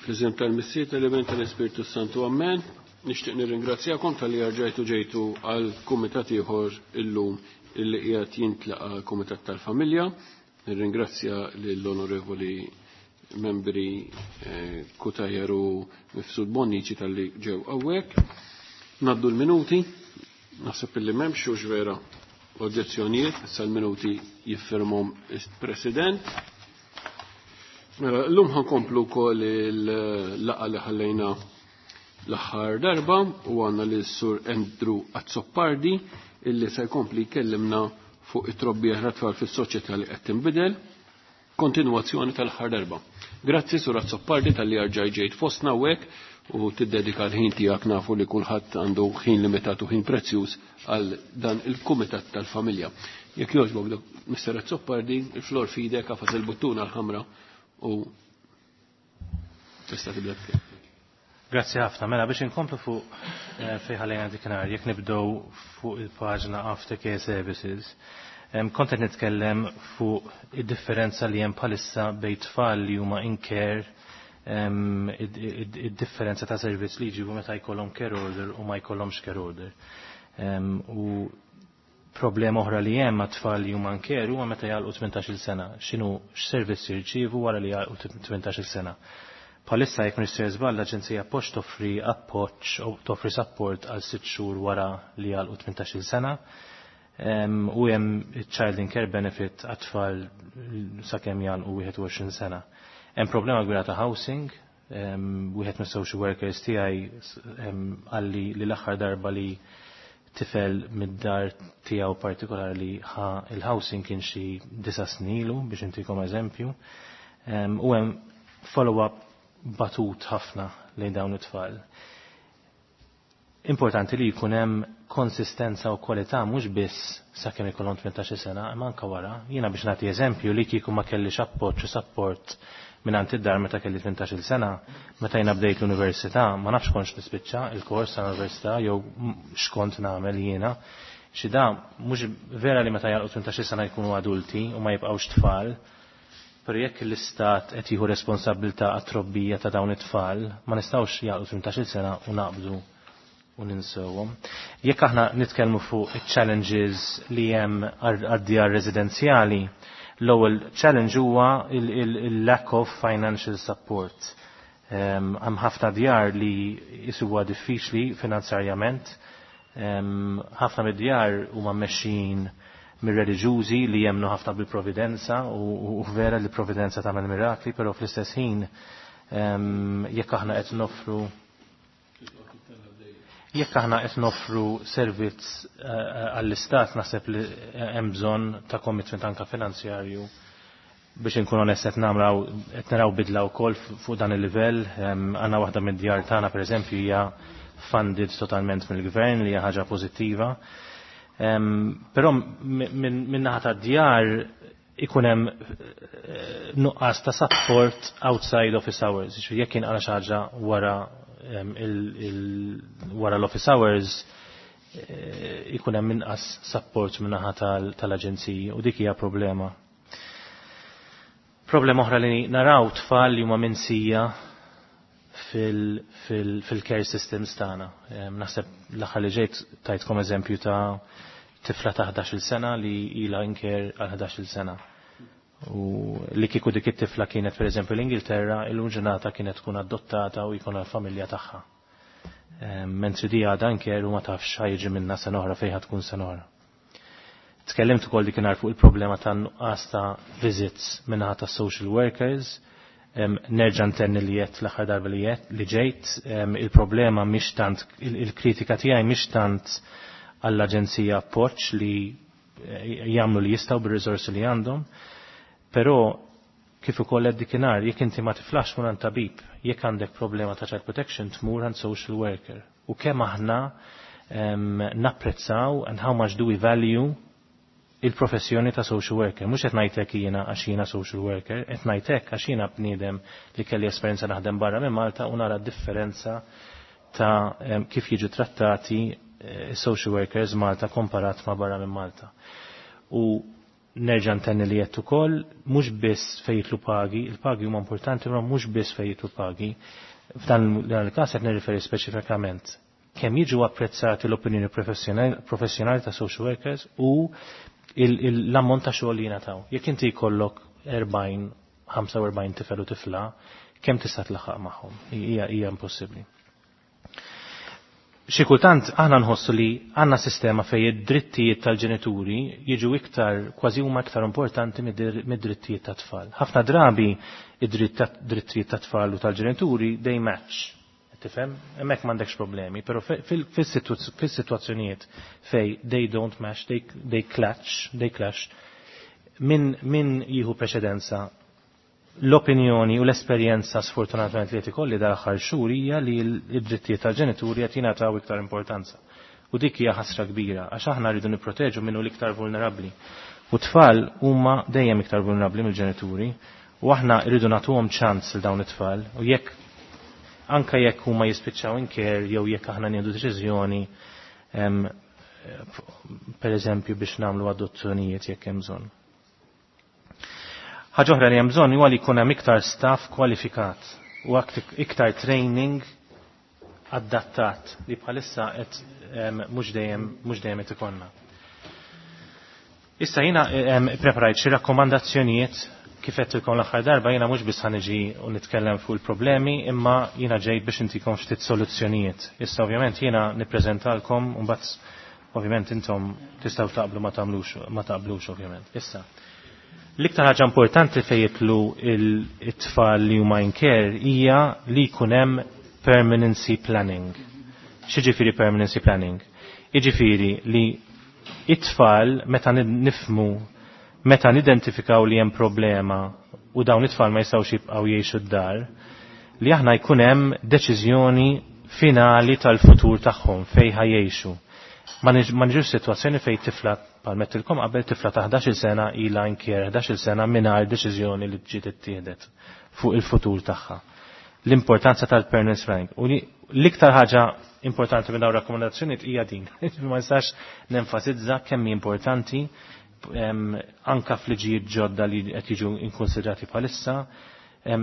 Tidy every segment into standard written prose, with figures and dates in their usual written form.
Fl-isem tal-Missier, tal-Iben, tal-Ispirtu Santu, Amen. Nixtieq nirringrazzjakom talli rġajtu ġejtu għal kumitat ieħor illum illi qiegħed jintlaqa Kumitat tal-Familja. Nirringrazzja lill-Onorevoli membri Cutajar u Mifsud Bonnici talli ġew hawnhekk. Naddu l-minuti, naħseb illi m'hemmx hux vera oġġezzjonijiet, issa l-minuti jiffirmhom il-President. Mela, llum ħankomplu wkoll il-laqgħa li ħallejna l-aħħar darba u għandna lil Sur Andrew Azzopardi illi se jkompli jkellimna fuq it-trobbija tat-tfal fis-soċjetà li qed tinbidel, kontinwazzjoni tal-aħħar darba. Grazzi Sur Azzopardi talli rġaj ġejt fostna hawnhekk u tiddedika l-ħin tiegħek, nafu li kulħadd għandu ħin limitat u ħin prezzjuż għal dan il-Kumitat tal-Familja. Jekk jogħġbok, Mr. Azzopardi, il-flor fidek, għafas il-buttuna l-ħamra u tista' tibda. Grazzi ħafna. Mela biex inkomplu fuq fejn ħallejna dikinhar, jekk nibdew fuq il-paġna Aftercare Services, kont qed nitkellem fuq id-differenza li hemm bħalissa bejn tfal li huma in care, id-differenza ta' servizz li jġibu meta jkollhom care order u ma jkollhomx care order. U problema oħra li hemm ma' tfal li huma in care huwa meta jagħlqu 18-il sena, x'inhu x'servizz jirċievu wara li jagħlqu 18-il sena. Bħalissa, jekk m'iniex żball, l-Aġenzija Appoġġ toffri appoġġ u toffri support għal 6 xhur wara li jagħlqu 18-il sena. U hemm child in care benefit għat-tfal sakemm jagħlqu 21 sena. Hemm problema kbira ta' housing, wieħed mis-social workers tiegħi qalli li l-aħħar darba li tifel mid-dar tiegħu partikolari ħa il-housing kien xi 9 snin ilu, biex intikom eżempju. U hemm follow-up batut ħafna lejn dawn it-tfal. Importanti li jkun hemm konsistenza u kwalità mhux biss sakemm ikollhom 18 sena, imma anke wara. Jiena, biex nagħti eżempju, li kieku ma kellix appoġġ u support minn id-dar meta kelli 18 sena, meta jiena bdejt l-università, ma nafx kontx nispiċċa il-kors tal-università jew x'kont nagħmel jiena. Xi da mhux vera li meta jagħlqu 18 sena jkunu adulti u ma jibqgħux tfal, pero jekk l-istat qed jieħu responsabilità għat-trobbija ta' dawn it-tfal, ma nistgħux jagħlqu 18 sena u naqbdu u ninsewhom. Jekk aħna nitkellmu fuq challenges li hemm għad-djar residenzjali, l-ewwel challenge huwa il-lack of financial support. Hemm ħafna djar li jisibuha diffiċli finanzjarjament. Ħafna mid-djar huma mmexxin mir-reliġjużi li jemnu ħafna bil-providenza u vera li providenza tagħmel mirakli, però fl-istess ħin jekk aħna qed noffru servizz għall-istat, naħseb li hemm bżonn ta' commitment anka finanzjarju. Biex inkun onest, qed naraw bidla wkoll fuq dan il-livell. Għandna waħda mid-djar tagħna, pereżempju, hija funded totalment mill-gvern, li hija ħaġa pożittiva. Però minn naħa tad-djar ikun hemm nuqqas ta' support outside office hours. Jiġifieri jekk jinqala xi ħaġa wara l-office hours, ikun hemm inqas support minn naħa tal-aġenziji u dik hija problema. Problema oħra li naraw, tfal li huma minsija fil-care systems tagħna. Naħseb l-aħħar li ġejt tajtkom eżempju ta' tifla ta' 11-il sena li ila in care għal 11-il sena. U li kieku dik it-tifla kienet, pereżempju, l-Ingilterra, illum ġurnata kienet tkun adottata u jkun għal-familja tagħha. Mentri di għadha in care u ma tafx ħa jiġi minna sena oħra, fejn tkun sena oħra. Tkellimt ukoll dikinhar fuq il-problema ta' nuqqas ta' visits minnaħa ta' social workers. Nerġa' ntenni li jett l-aħħar darba li jett li ġejt, il-problema mhix tant, il-kritika tiegħi mhix tant għall-Aġenzija Appoġġ li jagħmlu li jistgħu bir-riżorsi li għandhom, però kif ukoll qed dikinhar, jekk inti ma tiflax mur għand tabib, jekk għandek problema ta' child protection tmur għand social worker. U kemm aħna napprezzaw and how much do we value il-professjoni ta' social worker? Mhux qed ngħidlek jiena għax jiena social worker, qed ngħidlek għax jiena bniedem li kelli esperjenza naħdem barra minn Malta u nara differenza ta' kif jiġu trattati social workers Malta komparat ma' barra minn Malta. U Nerġa' ntenni li qed ukoll mhux biss fejn jidħlu pagi, il-pagi huma importanti però mhux biss fejn jidħlu pagi. F'dan il-każ qed nirriferi speċifikament kemm jiġu apprezzati l-opinjoni professjonali ta' social workers u l-ammont ta' xogħol li jingħataw. Jekk inti jkollok 40, 45 tifel u tifla, kemm tista' tlaħħaq magħhom? Hija impossibbli. Xi kultant aħna nħossu li għandna sistema fejn id-drittijiet tal-ġenituri jiġu iktar kważi huma iktar importanti mid-drittijiet tat-tfal. Ħafna drabi id-drittijiet tat-tfal u tal-ġenituri they match. Tifhem? Hemmhekk m'għandekx problemi, però fis-sitwazzjonijiet fejn they don't match, they clash, they clash, min jieħu preċedenza? L-opinjoni u l-esperjenza sfortunatament li qed ikolli dal-aħħar xhur hija li l-drittijiet tal-ġenituri qed jingħataw iktar importanza. U dik hija ħasra kbira għax aħna rridu nipproteġu minnu l-iktar vulnerabbli. U tfal huma dejjem iktar vulnerabbli mill-ġenituri u aħna rridu nagħtuhom ċans lil dawn it-tfal u jekk anka jekk huma jispiċċaw in care jew jekk aħna nieħdu deċiżjoni per eżempju biex nagħmlu adozzjonijiet jekk hemm bżonn. Ħaġa oħra li hemm bżonn huwa li jkun hemm iktar staff kwalifikat u iktar training adattat li bħalissa qed mhux dejjem qed ikollna. Issa jiena preparajt xi rakkomandazzjonijiet. Kif għedtilkom l-aħħar darba, jiena mhux biss ħaniġi u nitkellem fuq il-problemi, imma jiena ġej biex intikom ftit soluzzjonijiet. Issa ovvjament jiena nippreżentalkom u mbagħad ovvjament intom tistgħu taqblu ma tagħmlux ma taqblux ovvjament. Issa l-iktar ħaġa importanti fejn jidħlu it-tfal li huma in care hija li jkun hemm permanency planning. X'jiġifieri permanency planning? Jiġifieri li it-tfal meta nifmu, meta nidentifikaw li hemm problema u dawn it-tfal ma jistgħux jibqgħu jgħixu d-dar, li aħna jkun hemm deċiżjoni finali tal-futur tagħhom fejn ħa jgħixu. Ma niġux sitwazzjoni fejn tifla, bħalma għedtilkom qabel, tifla ta' 11 sena ilha in care 11 sena mingħajr deċiżjoni li ġiet ittieħdet fuq il-futur tagħha. L-importanza tal-permanence planning. U l-iktar ħaġa importanti minn dawn rakkomandazzjonijiet hija din. Ma nistax nenfasizza kemm hi importanti anka f'liġijiet ġodda li qed jiġu inkonsidrati bħalissa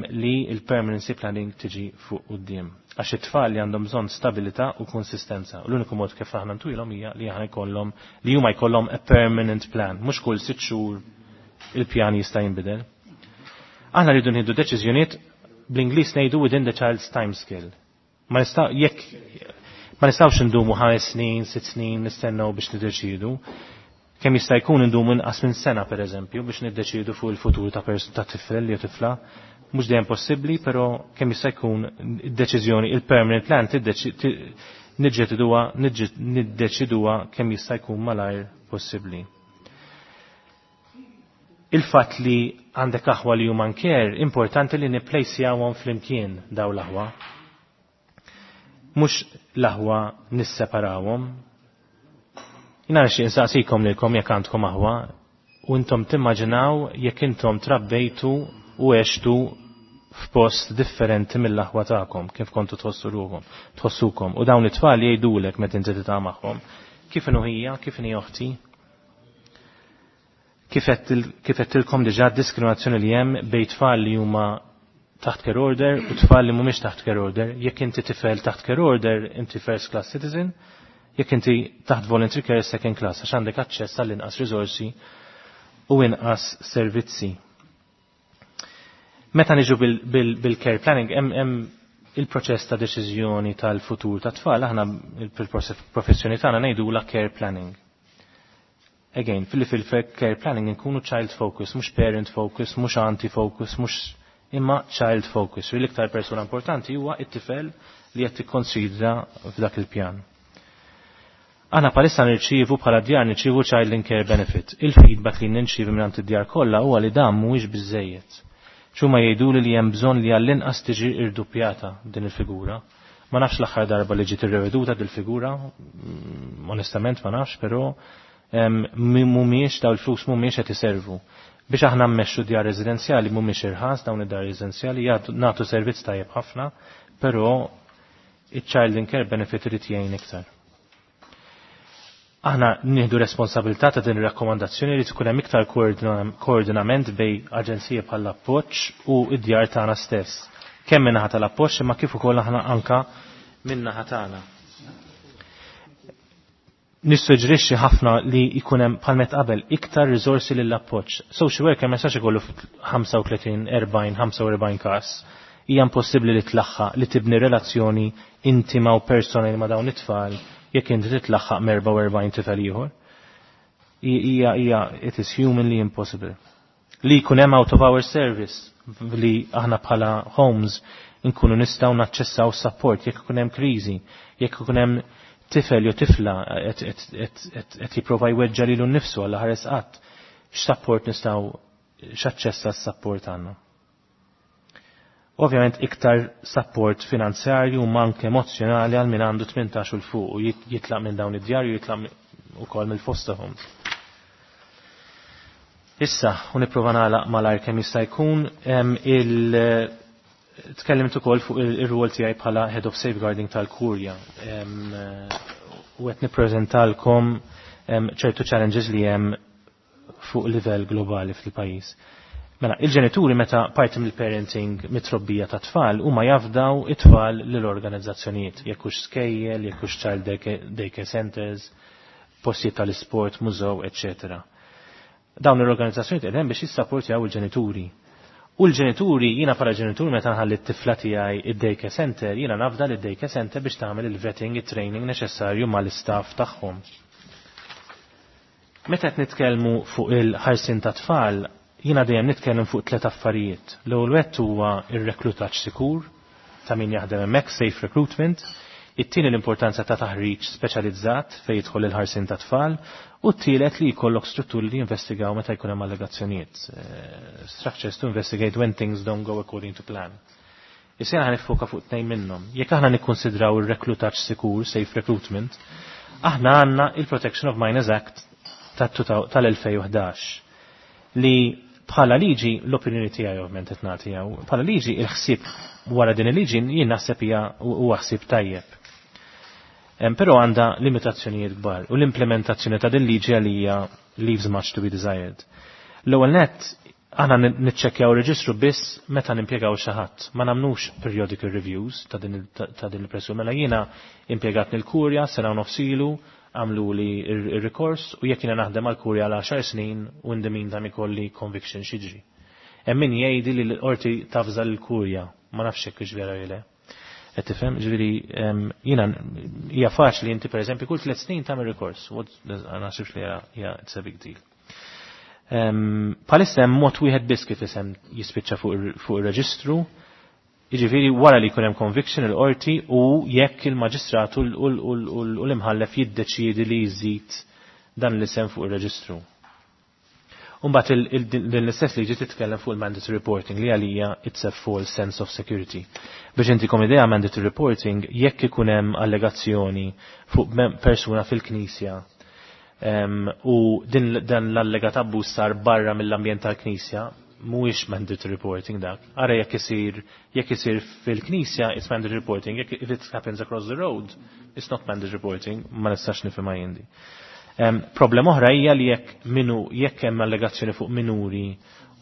li il-permanency planning tiġi fuq quddiem. Għax it-tfal li għandhom bżonn stabilità u konsistenza. U l-uniku mod kif aħna ntuhomlhom hija li aħna jkollhom li huma jkollhom a permanent plan, mhux kull 6 xhur il-pjan jista' jinbidel. Aħna rridu nieħdu deċiżjonijiet, bl-Ingliż ngħidu within the child's time scale. Ma nista' jekk ma nistgħux indumu 5 snin, 6 snin nistennew biex niddeċidu. Kemm jista' jkun indumu inqas minn sena, pereżempju, biex niddeċidu fuq il-futur ta' tifel jew tifla. Mhux dejjem possibbli, però kemm jista' jkun id-deċiżjoni, il-permanent plan niddeċiduha kemm jista' jkun malajr possibbli. Il-fatt li għandek aħwa li huma care, importanti li nipplejsjawhom flimkien daw l-aħwa. Mhux l-aħwa nisseparawhom. Jiena nixtieq insaqsikom lilkom jekk għandkom aħwa u intom timmaġinaw jekk intom trabbejtu u għextu f'post differenti mill-aħwa tagħkom, kif kontu tħossu ruhom, tħossukom. U dawn it-tfal jgħidulek meta inti tiltaqa' magħhom kif inhu hija, kif inhi oħti. Kif għedtilkom diġà, diskriminazzjoni li hemm bejn tfal li huma taħt care order u tfal li mhumiex taħt care order. Jekk inti tifel taħt care order, inti first class citizen, jekk inti taħt voluntary care, second class, għax għandek aċċess għall-inqas risorsi u inqas servizzi. Meta niġu bil-care planning, hemm il-proċess ta' deċiżjoni tal-futur ta' tfal, aħna fil-professjoni tagħna ngħidu la care planning. Again, fil-care planning nkunu child focus, mhux parent focus, mhux anti focus, mhux imma child focus. U l-iktar persuna importanti huwa it-tifel li qed tikkonsidra f'dak il-pjan. Aħna bħalissa nirċievu, bħala djar nirċievu child in care benefit. Il-feedback li nirċievu minn id-djar kollha huwa li dan mhuwiex biżejjed. Huma jgħidu li hemm bżonn li għall-inqas tiġi irdupjata din il-figura. Ma nafx l-aħħar darba li ġiet irreveduta dil-figura, onestament ma nafx, però mhumiex daw il-flus mhumiex qed iservu. Biex aħna mmexxu djar residenzjali, mhumiex irħas dawn id-dar residenzjali, nagħtu servizz tajjeb ħafna, però iċ-child in care benefit irid jgħin iktar. Aħna nieħdu responsabilità ta' din ir-rakkomandazzjoni li tkun hemm iktar koordinament bejn aġenziji bħall appoġġ u id-djar tagħna stess. Kemm min-naħa tal-appoġġ imma kif ukoll aħna anka min-naħa tagħna. Nissuġġerixxi ħafna li jkun hemm bħal met qabel iktar riżorsi lill appoġġ. Social worker ma jistax ikollu 35, 40, 45 każ. Hija impossibbli li tlaħħaq li tibni relazzjoni intima u personali ma' dawn it-tfal jekk inti titlaħħaq m'44 tifel ieħor. Hija it is humanly impossible. Li jkun hemm out of our service li aħna bħala homes nkunu nistgħu naċċessaw support jekk ikun hemm kriżi, jekk ikun hemm tifel jew tifla qed jipprova jweġġa lilu nnifsu għal ħares qatt, x'support nistgħu x'aċċess għas-support għandna. Ovvjament iktar support finanzjarju u anke emozjonali għal min għandu 18 u l fuq u jitlaq minn dawn id-djar u jitlaq ukoll mill-foster homes. Issa, u nipprova nagħlaq malajr kemm jista' jkun, il tkellimt ukoll fuq ir-rwol tiegħi bħala Head of Safeguarding tal-Kurja. U qed nippreżentalkom ċertu challenges li hemm fuq livell globali fil-pajjiż. Mela, il-ġenituri meta parti mill-parenting mit-trobbija ta' tfal huma jafdaw it-tfal lill-organizzazzjonijiet, jekk hux skejjel, jekk hux child daycare centers, postijiet tal-isport, mużew, eccetera. Dawn l-organizzazzjonijiet qegħdin biex jissapportjaw il-ġenituri. U l-ġenituri, jiena bħala ġenitur meta nħalli t-tifla tiegħi id-daycare center, jiena nafda li d-daycare center biex tagħmel il-vetting, it-training neċessarju mal-istaff tagħhom. Meta qed nitkellmu fuq il-ħarsin ta' tfal, jiena dejjem nitkellem fuq tliet affarijiet. L-ewwel wieħed huwa ir-reklutaġġ sikur ta' min jaħdem hemmhekk, safe recruitment, it-tieni l-importanza ta' taħriġ speċjalizzat fejn jidħol il-ħarsin ta' tfal, u t-tielet li jkollok strutturi li jinvestigaw meta jkun hemm allegazzjonijiet. Structures to investigate when things don't go according to plan. Issa ħa niffoka fuq tnejn minnhom. Jekk aħna nikkonsidraw ir-reklutaġġ sikur, safe recruitment, aħna għandna il-Protection of Minors Act tal-2011 li bħala liġi l-opinjoni tiegħi ovvjament qed nagħti hawn, bħala liġi il-ħsieb wara din il-liġi jien naħseb hija huwa ħsieb tajjeb. Però għandha limitazzjonijiet kbar u l-implementazzjoni ta' din liġi għalija leaves much to be desired. L-ewwel nett aħna niċċekkjaw reġistru biss meta nimpjegaw xi ħadd. Ma nagħmlux periodical reviews ta' din il-pressju. Mela jiena impjegat nil-kurja sena u nofs ilu, għamlu li il-rikors u jekk jiena naħdem għal-kurja għal 10 snin u in the meantime ikolli conviction x'jiġri. Hemm min jgħidi li l-qorti tafża l-kurja, ma nafx hekk vera jew le. Qed tifhem, ġifieri jiena hija faċli inti pereżempju kull 3 snin tagħmel rikors. Ma naħsibx li hija it's a big deal. Bħalissa hemm mod wieħed biss kif isem jispiċċa fuq ir-reġistru, jiġifieri wara li jkun hemm conviction il-qorti u jekk il-maġistrat u l-imħallef jiddeċiedi li jżid dan l-isem fuq ir-reġistru. Umbagħad din l-istess liġi titkellem fuq il-mandatory reporting li għalija it's a false sense of security. Biex intikom idea, mandatory reporting, jekk ikun hemm allegazzjoni fuq persuna fil-knisja u din dan l-allegat abbuż sar barra mill-ambjent tal-knisja, mhuwiex mandatory reporting dak. Ara jekk isir fil-knisja, it's mandatory reporting, jekk if it happens across the road, it's not mandatory reporting, ma nistax nifhimha jien di. Problema oħra hija li jekk hemm allegazzjoni fuq minuri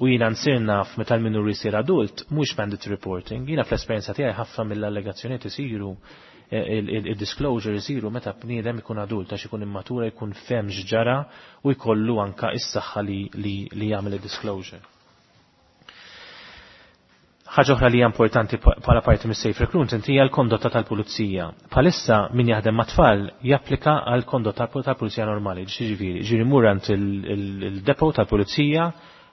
u jiena nsir naf meta l-minuri jsir adult, mhux mandatory reporting. Jiena fl-esperjenza tiegħi ħafna mill-allegazzjonijiet isiru, il-disclosure isiru meta bniedem ikun adult għax ikun immatura, jkun fehem x'ġara u jkollu anka is-saħħa li jagħmel il-disclosure. Ħaġa oħra li hija importanti bħala parti mis-safe recruitment hija l-kondotta tal-pulizija. Bħalissa min jaħdem mat-tfal japplika għal kondotta tal-pulizija normali, ġifieri, ġieri mur għand il-depot tal-pulizija,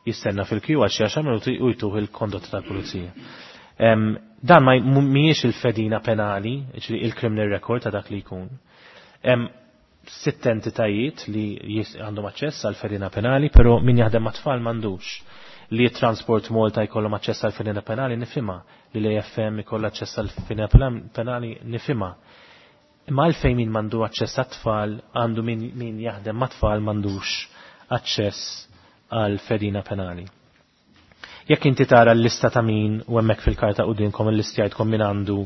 jistenna fil-kju għal xi 10 minuti u jtuh il-kondotta tal-pulizija. Dan ma mhijiex il-fedina penali, ġifieri il-criminal record ta' dak li jkun. Sitt entitajiet li għandhom aċċess għal fedina penali, però min jaħdem mat-tfal m'għandux. Li Transport Malta jkollhom aċċess għal fedina penali nifhimha, li l-AFM jkollha aċċess għal fedina penali nifhimha. Imma għalfejn min m'għandu aċċess għat-tfal, għandu min jaħdem mat-tfal m'għandux aċċess għal fedina penali? Jekk inti tara l-lista ta' min u hemmhekk fil-karta qudiemkom il-lista jgħidkom min għandu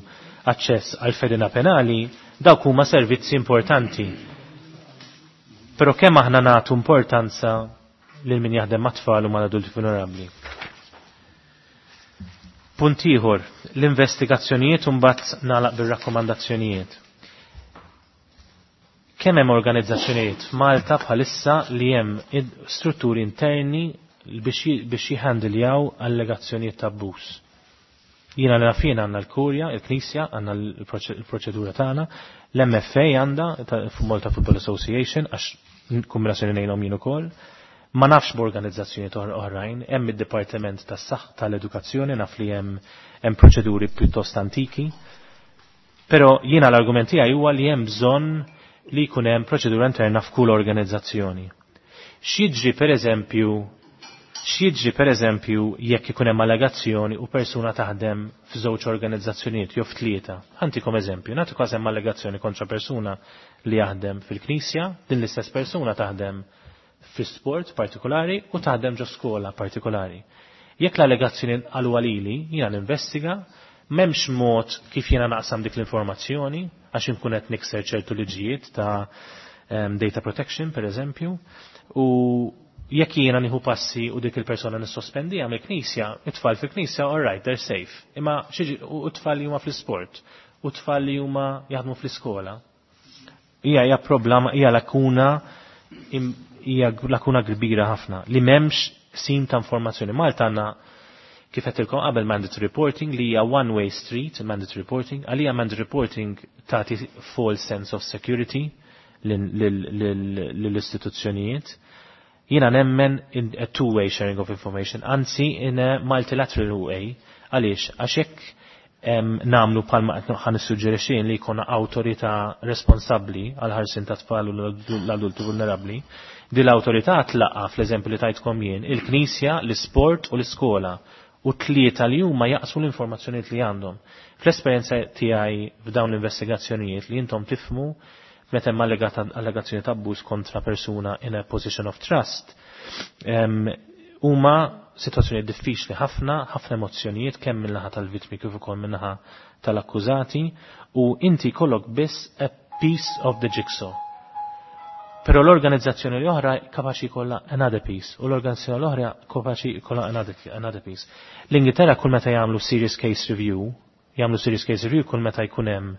aċċess għal fedina penali, dawk huma servizzi importanti. Però kemm aħna nagħtu importanza lil min jaħdem mat-tfal u mal-adulti vulnerabbli. Punt ieħor, l-investigazzjonijiet u mbagħad nagħlaq bir-rakkomandazzjonijiet. Kemm hemm organizzazzjonijiet f'Malta bħalissa li hemm strutturi interni biex jihandiljaw allegazzjonijiet ta' abbuż. Jiena li nafin għandna l-Kurja, il-Knisja, għandna l-proċedura tagħna, l-MFA għandha Malta Football Association għax kombinazzjoni ngħinhom jien ukoll. Ma nafx b'organizzazzjoni oħrajn, hemm id-Dipartiment tas-Saħħa tal-Edukazzjoni naf li hemm proċeduri pjuttost antiki. Però jiena l-argument tiegħi huwa li hemm bżonn li jkun hemm proċedura interna f'kull organizzazzjoni. X'jiġri pereżempju X'jiġri pereżempju jekk ikun hemm allegazzjoni u persuna taħdem f'żewġ organizzazzjonijiet jew f'tlieta. Ħantikom eżempju, nagħti każ hemm allegazzjoni kontra persuna li jaħdem fil-Knisja, din l-istess persuna taħdem fi sport partikolari u taħdem ġo skola partikolari. Jekk l-allegazzjoni għalu għalili, jiena ninvestiga, m'hemmx mod kif jiena naqsam dik l-informazzjoni għax inkun qed nikser ċertu liġijiet ta' data protection per eżempju, u jekk jiena nieħu passi u dik il-persona nissospendija mill-knisja, it-tfal fil-knisja, all right, they're safe. Imma u t-tfal li huma fl-isport, u t-tfal li huma jaħdmu fl-iskola. Hija problema, hija lakuna hija lakuna kbira ħafna li m'hemmx sim ta' informazzjoni. Malta għandna kif qed qabel mandatory reporting li hija one way street, mandatory reporting, għalija mandatory reporting tagħti false sense of security lill-istituzzjonijiet. Jiena nemmen in a two-way sharing of information, anzi in a multilateral way, għaliex, għax jekk namlu palma ħan nissuġġerixxin li jkollna awtorità responsabbli għal ħarsin ta' tfal u l-adulti vulnerabbli, di l-awtorità tlaqa fl-eżempju li tajtkom jien, il-knisja, l-isport u l-iskola u tlieta li huma jaqsmu l-informazzjonijiet li għandhom. Fl-esperjenza tiegħi f'dawn l-investigazzjonijiet li intom tifmu meta hemm allegazzjoni ta' abbuż kontra persuna in a position of trust, huma situazzjoni diffiċli ħafna, ħafna emozzjonijiet kemm min-naħa tal-vittmi kif ukoll min-naħa tal-akkużati u inti kollok biss a piece of the jigsaw. Però l-organizzazzjoni l-oħra kapaċi jkollha another piece u l-organizzazzjoni l-oħra kapaċi jkollha another piece. L-Ingilterra kull meta jagħmlu serious case review, jagħmlu serious case review kull meta jkun hemm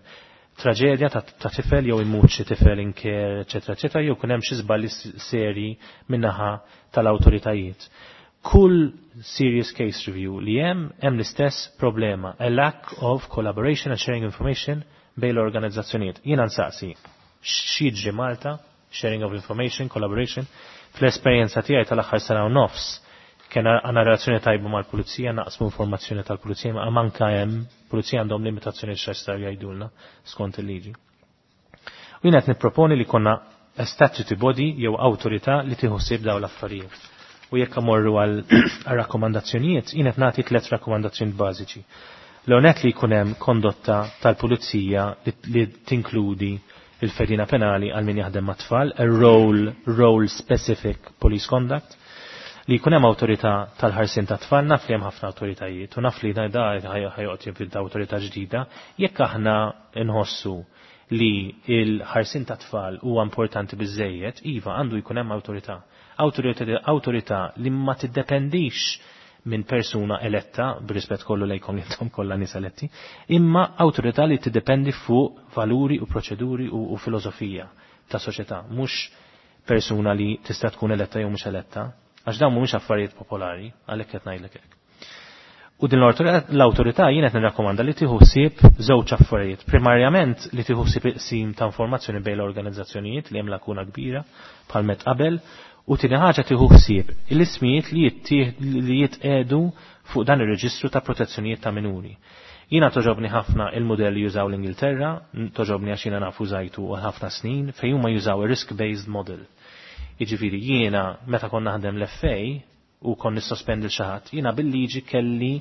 traġedja ta' tifel jew imut xi tifel in care, eċetera, eċetera, jew kun hemm xi żballi seri min-naħa tal-awtoritajiet. Kull serious case review li hemm hemm l-istess problema, a lack of collaboration and sharing information bejn l-organizzazzjonijiet. Jiena nsaqsi, x'jiġri Malta, sharing of information, collaboration, fl-esperjenza tiegħi tal-aħħar sena u nofs, kien għandna relazzjoni tajba mal-pulizija, naqsmu informazzjoni tal-pulizija, ma manka hemm pulizija għandhom limitazzjoni x'jistgħu jgħidulna skont il-liġi. U jien qed nipproponi li konna a statutory body jew awtorità li tieħu ħsieb dawn l-affarijiet. U jekk amorru għal rakkomandazzjonijiet, jien qed nagħti tliet rakkomandazzjonijiet bażiċi. L-onet li jkun hemm kondotta tal-pulizija li tinkludi il-fedina penali għal min jaħdem mat-tfal, a role specific police conduct, li jkun hemm awtorità tal-ħarsien ta' tfal, naf li hemm ħafna awtoritajiet u naf li da ħajoqgħod jibda awtorità ġdida, jekk aħna nħossu li il-ħarsien ta' tfal huwa importanti biżejjed, iva għandu jkun hemm awtorità. Awtorità li ma tiddependix minn persuna eletta, b'rispett kollu lejkom li intom kollha nies eletti, imma awtorità li tiddependi fuq valuri u proċeduri u filosofija ta' soċjetà, mhux persuna li tista' tkun eletta jew mhux eletta, għax dawn mhumiex affarijiet popolari, għalhekk qed ngħidlek hekk. U din l-awtorità jien qed nirrakkomanda li tieħu ħsieb żewġ affarijiet. Primarjament li tieħu ħsieb iqsim ta' informazzjoni bejn l-organizzazzjonijiet li hemm lakuna kbira bħal met qabel, u tieni ħaġa tieħu ħsieb l-ismijiet li jitqedu fuq dan ir-reġistru ta' protezzjonijiet ta' minuri. Jiena toġobni ħafna il-modell li jużaw l-Ingilterra, toġobni għax jiena nafu żajtu għal ħafna snin, fejn huma jużaw ir-risk-based model. Jiġifieri jiena meta konna naħdem l-FA u kon nissospendi l xi ħadd, jiena bil-liġi kelli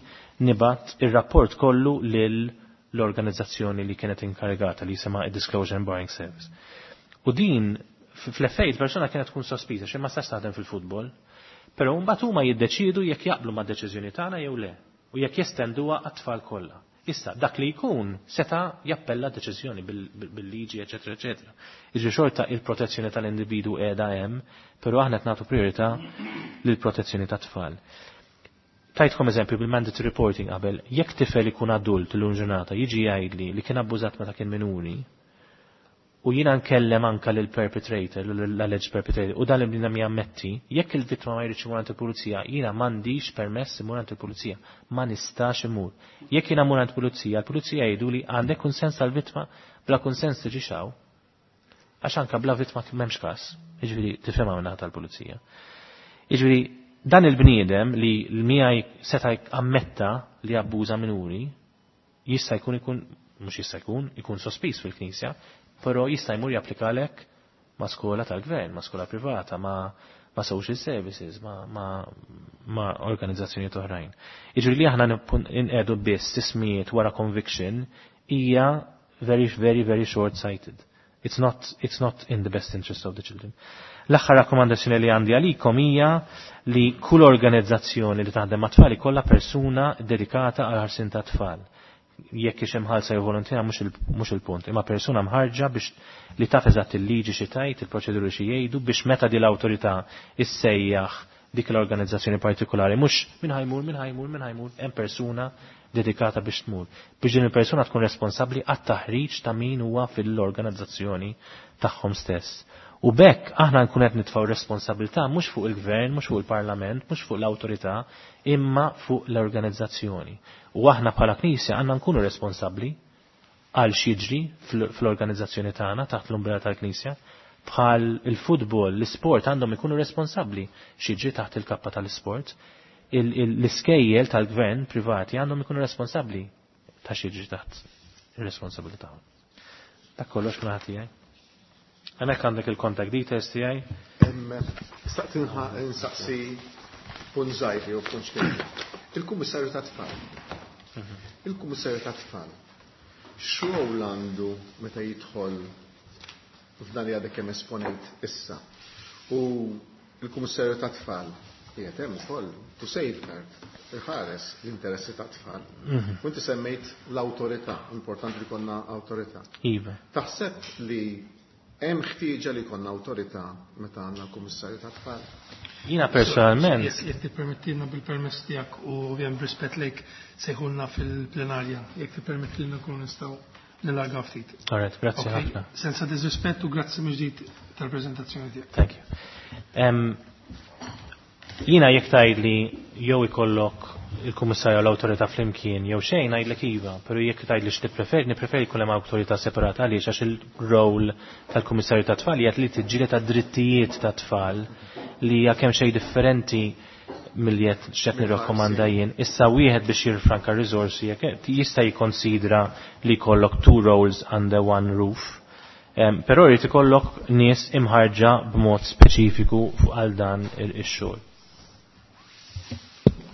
nibgħat ir-rapport kollu lil l-organizzazzjoni li kienet inkarigata li jisimha Disclosure and Barring Service. U din fl-FA il-persona kienet tkun sospiża xi ma stax taħdem fil-futbol. Però mbagħad huma jiddeċiedu jekk jaqblu mad-deċiżjoni tagħna jew le u jekk jestenduha għat-tfal kollha. Issa, dak li jkun seta jappella deċiżjoni bil-liġi, eċetera, eċetera. Iġri xorta il-protezzjoni tal-individu qiegħda hemm, però aħna qed nagħtu priorità lill-protezzjoni tat-tfal. Tajtkom eżempju bil-mandatory reporting qabel, jekk tifel ikun adult l ġurnata jiġi jgħidli li kien abbużat meta kien minuri, u jiena nkellem anka lil perpetrator, l-alleged perpetrator, u dan il-bniedem jammetti, jekk il-vittma ma jridx imur għand il-pulizija, jiena m'għandix permess imur għand il-pulizija, ma nistax imur. Jekk jiena mmur għand pulizija, l-pulizija jgħidu li għandek kunsens tal-vittma, bla kunsens tiġi xaw. Għax anka bla vittma m'hemmx każ. Jiġifieri tifhimha minn tal-pulizija. Jiġifieri dan il-bniedem li l-miegħi seta' ammetta li abbuża minuri, jista' jkun ikun mhux jista' jkun, ikun sospiż fil-Knisja, però jista' jmur japplikalek ma' skola tal-gvern, ma' skola privata, ma', ma social services, ma', ma, ma organizzazzjoni oħrajn. Jiġri li aħna nqedu biss tismijiet wara conviction hija very, very, very short-sighted. It's not in the best interest of the children. L-aħħar rakkomandazzjoni li għandi għalikom hija li kull organizzazzjoni li taħdem ma' tfal ikollha persuna dedikata għal ħarsien ta' tfal. Jekk hix imħallsa jew volontira mhux il-punt, imma persuna mħarġa biex li taf eżatt il-liġi xi tgħid, il-proċeduri xi jgħidu biex meta di l-awtorità issejjaħ dik l-organizzazzjoni partikolari, mhux min ħajmur, min ħajmur, min ħajmur, hemm persuna dedikata biex tmur. Biex din il-persuna tkun responsabbli għat-taħriġ ta' min huwa fil-organizzazzjoni tagħhom stess. U bekk aħna nkun qed nitfgħu responsabilità mhux fuq il-gvern, mhux fuq il-parlament, mhux fuq l-awtorità, imma fuq l-organizzazzjoni. U aħna bħala Knisja għandna nkunu responsabbli għal x'jiġri fl-organizzazzjoni tagħna taħt l-umbrella tal-Knisja. Bħal il-futbol, l-isport għandhom ikunu responsabbli x'jiġri taħt il-kappa tal-isport. L-iskejjel tal-gvern privati għandhom ikunu responsabbli ta' x'jiġri taħt ir-responsabilità. Dak kollox minn tiegħi. Hemmhekk għandek il-contact details tiegħi. Staqt insaqsi punt żgħir jew punt xejn. Il-Kummissarju tat-Tfal. Il-Kummissarju tat-Tfal. X'rol għandu meta jidħol f'dan li għadek kemm esponejt issa? U il-Kummissarju tat-Tfal qiegħed hemm ukoll to safeguard iħares l-interessi tat-tfal. U inti semmejt l-awtorità, importanti li konna awtorità. Iva. Taħseb li hemm ħtieġa li jkollna awtorità meta għandna l-Kummissarju tat-Tfal? Jiena personalment. Jekk tippermettilna bil-permess tiegħek u ovvjament b'rispett lejk sejħulna fil-plenarja, jekk tippermettilna nkunu nistgħu nilarga ftit. All right, grazzi ħafna. Senza disrispett u grazzi mill-ġdid tal-preżentazzjoni tiegħek. Thank you. Jiena jekk tgħidli jew ikollok il-kummissarju l-awtorità flimkien jew xejn ngħidlek iva, però jekk tgħidli x'nippreferi, nippreferi jkun hemm awtorità separata għaliex għax il-rol tal-kummissarju tat-tfal hija li tiġġieled għad-drittijiet tat-tfal li hija kemm xejn differenti milli qed x'qed nirrakkomanda jien. Issa wieħed biex jirfranka riżorsi jekk jista' jikkonsidra li jkollok two roles under one roof. Però jrid ikollok nies imħarġa b'mod speċifiku fuq għal dan ix-xogħol.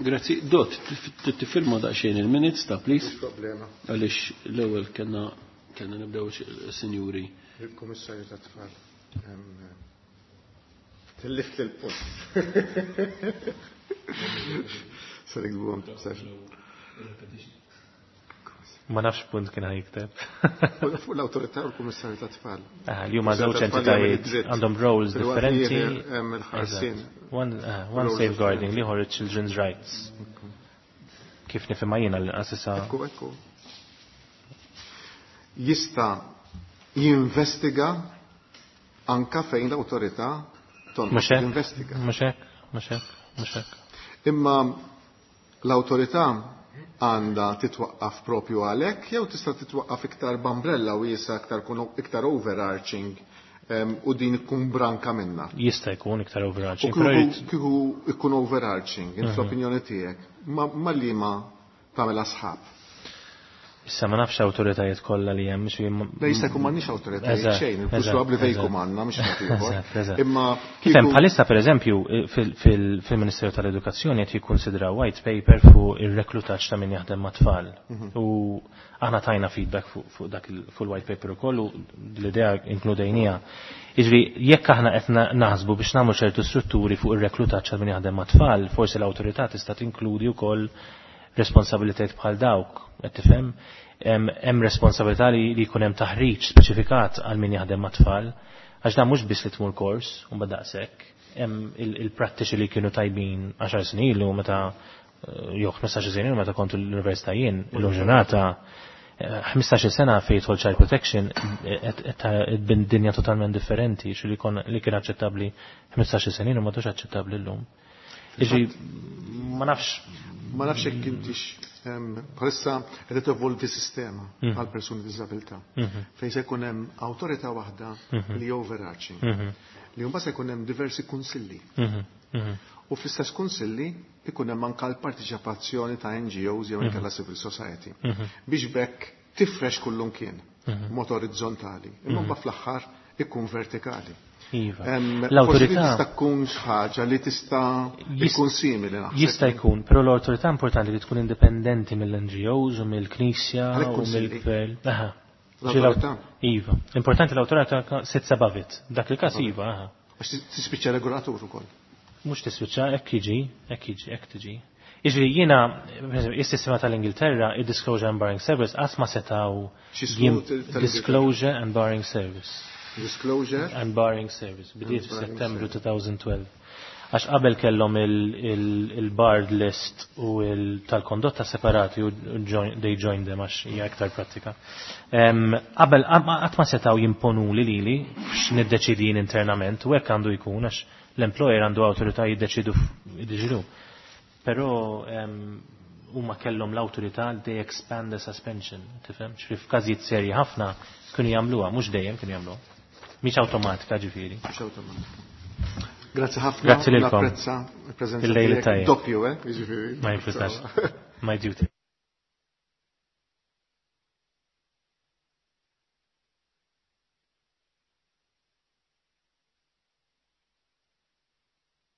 Grazzi. Dot, tifirma daqsxejn il-minutes ta' please. Mhux problema. Għaliex l-ewwel kellna nibdew sinjuri. Il-Kummissarju tat-Tfal. Tillift il-punt. Sorry, għum, Ma nafx punt kien ħajkteb. Fuq l-awtorità u l-Kummissarju tat-Tfal. Li huma żewġ entitajiet għandhom roles differenti. One safeguarding li ieħor children's rights. Kif nifhimha jiena l-inqas issa. Ekku, ekku. Jista' jinvestiga anka fejn l-awtorità tonqos jinvestiga. Mhux hekk, mhux hekk, mhux hekk. Imma l-awtorità għandha titwaqqaf propju għalhekk jew tista' titwaqqaf iktar b'umbrella wiesa iktar overarching u din ikun branka minna. Jista' jkun iktar overarching. U kieku ikun overarching, int fl-opinjoni tiegħek, ma liema tagħmel asħab. Issa ma nafx awtoritajiet kollha li hemm Le jista' jkun m'għandniex awtoritajiet xejn, il-plus probabbli fejn jkun għandna mhux ieħor. Imma kif bħalissa pereżempju fil-Ministeru tal-Edukazzjoni qed jikkunsidraw white paper fuq ir-reklutaġġ ta' min jaħdem ma' tfal. U aħna tajna feedback fuq dak fuq il-white paper ukoll u l-idea inkludejnija. Jiġri jekk aħna qed naħsbu biex nagħmlu ċertu strutturi fuq ir-reklutaġġ ta' min jaħdem ma' tfal, forsi l-awtorità tista' tinkludi wkoll responsabilitajiet bħal dawk, qed tifhem? Hemm responsabilità li jkun hemm taħriġ speċifikat għal min jaħdem mat-tfal, għax dan mhux biss li tmur kors u mbagħad daqshekk. Hemm il-prattiċi li kienu tajbin 10 snin ilu meta jew 15 snin ilu meta kont l-università jien, illum ġurnata 15 sena fejn jidħol child protection qed dinja totalment differenti, xi li li kien aċċettabbli 15 sena ilu m'għadux aċċettabbli llum. Iġi, ma nafx. Ma nafx jekk intix bħalissa qed tevolvi sistema għal persuni b'diżabilità. Fejn se jkun hemm awtorità waħda li overarching. Li mbagħad se jkun hemm diversi kunsilli. U fl-istess kunsilli ikun hemm anke l-partiċipazzjoni ta' NGOs jew inkella civil society. Biex bekk tifrex kullum kien mod orizzontali. Imma mbagħad fl-aħħar ikun vertikali. Iva. L-awtorità tista' tkun xi ħaġa li tista' jkun simili naħseb. Jista' jkun, però l-awtorità importanti li tkun indipendenti mill-NGOs u mill-Knisja u mill-gvern. Aha. L-awtorità? Iva. Importanti l-awtorità sits above it. Dak il-każ iva, aha. Għax tispiċċa regolatur ukoll. Mhux tispiċċa, hekk jiġi, hekk jiġi, hekk tiġi. Jiġri jiena, is-sistema tal-Ingilterra, il-Disclosure and Barring Service, qatt ma setgħu Disclosure and Barring Service. Disclosure and Barring Service. Bdiet f'Settembru 2012. Għax qabel kellhom il-barred list u tal-kondotta separati u they joined them għax hija iktar pratika. Qabel qatt ma setgħu jimponu li lili x'niddeċidi jien internament u hekk għandu jkun għax l-employer għandu awtorità jiddeċidu jiddeċidu. Però huma kellhom l-awtorità they expand the suspension, tifhem? Ġifieri f'każijiet serji ħafna kienu jagħmluha, mhux dejjem kienu jagħmluha. Mhix awtomatika ġifieri. Mhux awtomatika. Grazzi ħafna. Grazzi lilkom. Napprezza il-preżenza Il-lejl tiegħek. tajjeb. Doppju, eh? Jiġifieri. Ma jimpurtax. My duty.